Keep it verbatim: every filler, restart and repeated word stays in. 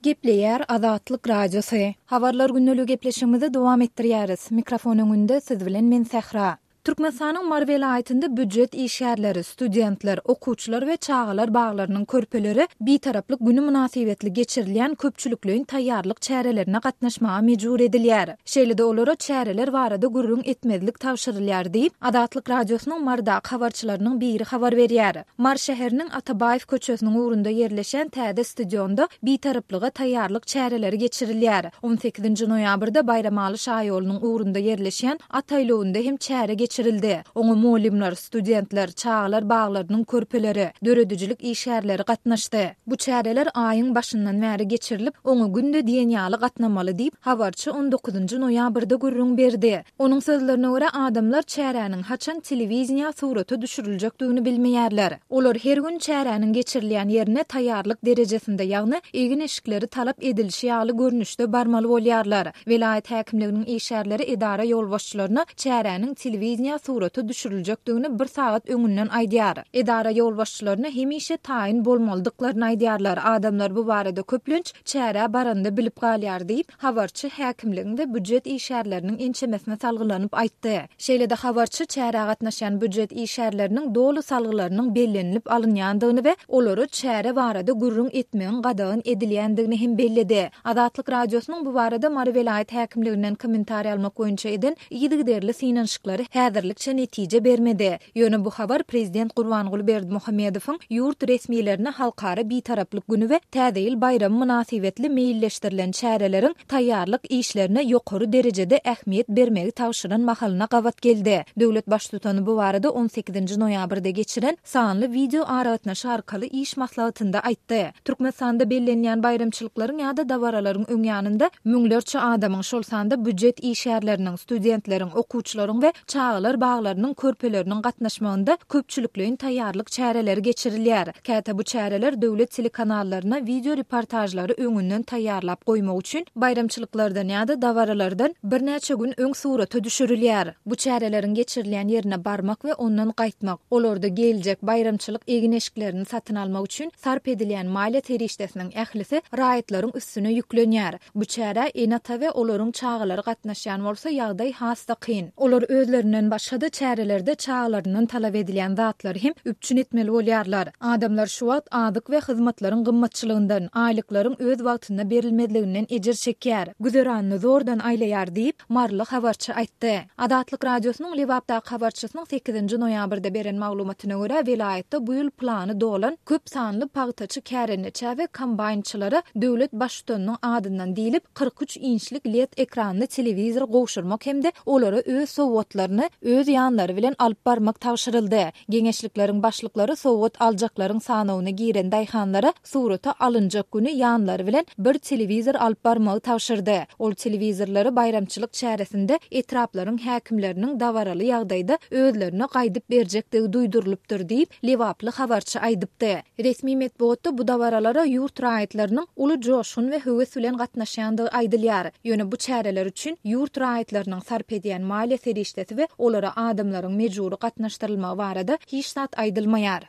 Gepleýär Azatlyk Radiosy. Habarlar gündeligi gepleşigimizi dowam etdirýäris. Mikrofon öňünde siz bilen men Sähra. Türkmenistanyň Mary welaýatynda býujet işgärleri, studentler, okuwçylar we çagalar baglarynyň körpeleri Bitaraplyk güni mynasybetli geçirilýän köpçülikleýin taýýarlyk çärelerine gatnaşmaga mejbur edilýär. Şeýle-de olara çäreler barada gürrüň etmezlik tabşyrylýar diýip, Azatlyk Radiosynyň Marydaky habarçylarynyň biri habar berýär. Mary şäheriniň Atabaýew köçesiniň ugrunda ýerleşen täze stadionda Bitaraplyga taýýarlyk çäreleri geçirilýär. On sekizinji noýabrda Baýramaly şaýolunyň ugrunda ýerleşýän at aýlawynda hem çäre geçirildi. Oňa mugallymlar, studentler, çagalar baglarynyň körpeleri, döredijilik işgärleri gatnaşdy. Bu çäreler aýyň başyndan bäri geçirilip, oňa günde diýen ýaly gatnamaly diýip, habarçy on dokuzynjy noýabrda gürrüň berdi. Onuň sözlerine görä, adamlar çäräniň haçan telewideniýä surata düşüriljekdigini bilmeýärler. Olar her gün çäräniň geçirilýän ýerine taýýarlyk derejesinde, ýagny egin-eşikleri talap edilişi ýaly görnüşde barmaly bolýarlar. Welaýat häkimliginiň işgärleri edara ýolbaşçylaryna çäräniň telewideniýä surata düşüriljekdigini bir sagat öňünden aýdýar. Edara ýolbaşçylaryna hemişe taýyn bolmalydyklaryny aýdýarlar. Adamlar bu barada köplenç çärä baranda bilip galýar diýip, habarçy häkimligiň we býujet işgärleriniň ençemesine salgylanyp aýtdy. Şeýle-de habarçy çärä gatnaşýan býujet işgärleriniň doly salgylarynyň bellenilip alynýandygyny we olara çäre barada gürrüň etmegiň gadagan edilýändigini hem belledi. Azatlyk Radiosynyň bu barada Mary welaýat häkimliginden kommentariý almak boýunça eden yzygiderli synanyşyklary häzirlikçe netije bermedi. Ýöne bu habar prezident Gurbanguly Berdimuhamedowyň ýurt resmilerine Halkara Bitaraplyk güni we Täze ýyl baýramy mynasybetli meýilleşdirilen çäreleriň taýýarlyk işlerine ýokary derejede ähmiýet bermegi tabşyran mahalyna gabat geldi. Döwlet Baştutany bu barada on sekizinji noýabrda geçiren sanly wideo aragatnaşyk arkaly iş maslahatynda aýtdy. Türkmenistanda bellenýän baýramçylyklaryň ýa-da dabaralaryň öň ýanynda müňlerçe adamyň, şol sanda býujet işgärleriniň, studentleriň, okuwçylaryň we çagalar baglarynyň körpeleriniň gatnaşmagynda köpçülikleýin taýýarlyk çäreleri geçirilýär. Käte bu çäreler döwlet telekanallaryna wideo reportažlary öňünden taýýarlap goýmak üçin baýramçylyklardan ýa-da dabaralardan birnäçe gün öň surata düşürilýär. Bu çäreleriň geçirilýän ýerine barmak we ondan gaýtmak, olarda geljek baýramçylyk egin-eşiklerini satyn almak üçin sarp edilýän maliýe serişdesiniň ählisi raýatlaryň üstüne ýüklenýär. Bu çärä ene-ata we olaryň çagalary gatnaşýan bolsa ýagdaý has-da kyn. Olar özlerinden başga-da çärelerde çagalaryndan talap edilýän zatlary hem üpjün etmeli bolýarlar. Adamlar şu wagt azyk we hyzmatlaryň gymmatçylygyndan, aýlyklaryň öz wagtynda berilmezliginden ejir çekýär. Güzeranyny zordan aýlaýar diýip, maryly habarçy aýtdy. Azatlyk Radiosynyň Lebapdaky habarçysynyň sekizinji noýabrda beren maglumatyna görä, welaýatda bu ýyl plany dolan köp sanly pagtaçy kärendeçä we kombaýnçylara döwlet baştutanynyň adyndan diýlip kyrk üç inçlik led ekranly telewizor gowşurmak hem-de olara öz sowgatlaryny öz ýanlary bilen alyp barmak tabşyryldy. Geňeşlikleriň başlyklary sowgat aljaklaryň sanawyna giren daýhanlara surata alynjak güni ýanlary bilen bir telewizor alyp barmagy tabşyrdy. Ol telewizorlary baýramçylyk çäresinde etraplaryň häkimleriniň dabaraly ýagdaýda özlerine gaýdyp berjekdigi duýdurylypdyr diýip, Lebaply habarçy aýdypdy. Resmi metbugatda bu dabaralara ýurt raýatlarynyň uly joşgun we höwes bilen gatnaşýandygy aýdylýar. Ýöne bu çäreler üçin ýurt raýatlarynyň sarp edýän maliýe serişdesi we olara adamlaryň mejbury gatnaşdyrylmagy barada hiç zat aýdylmaýar.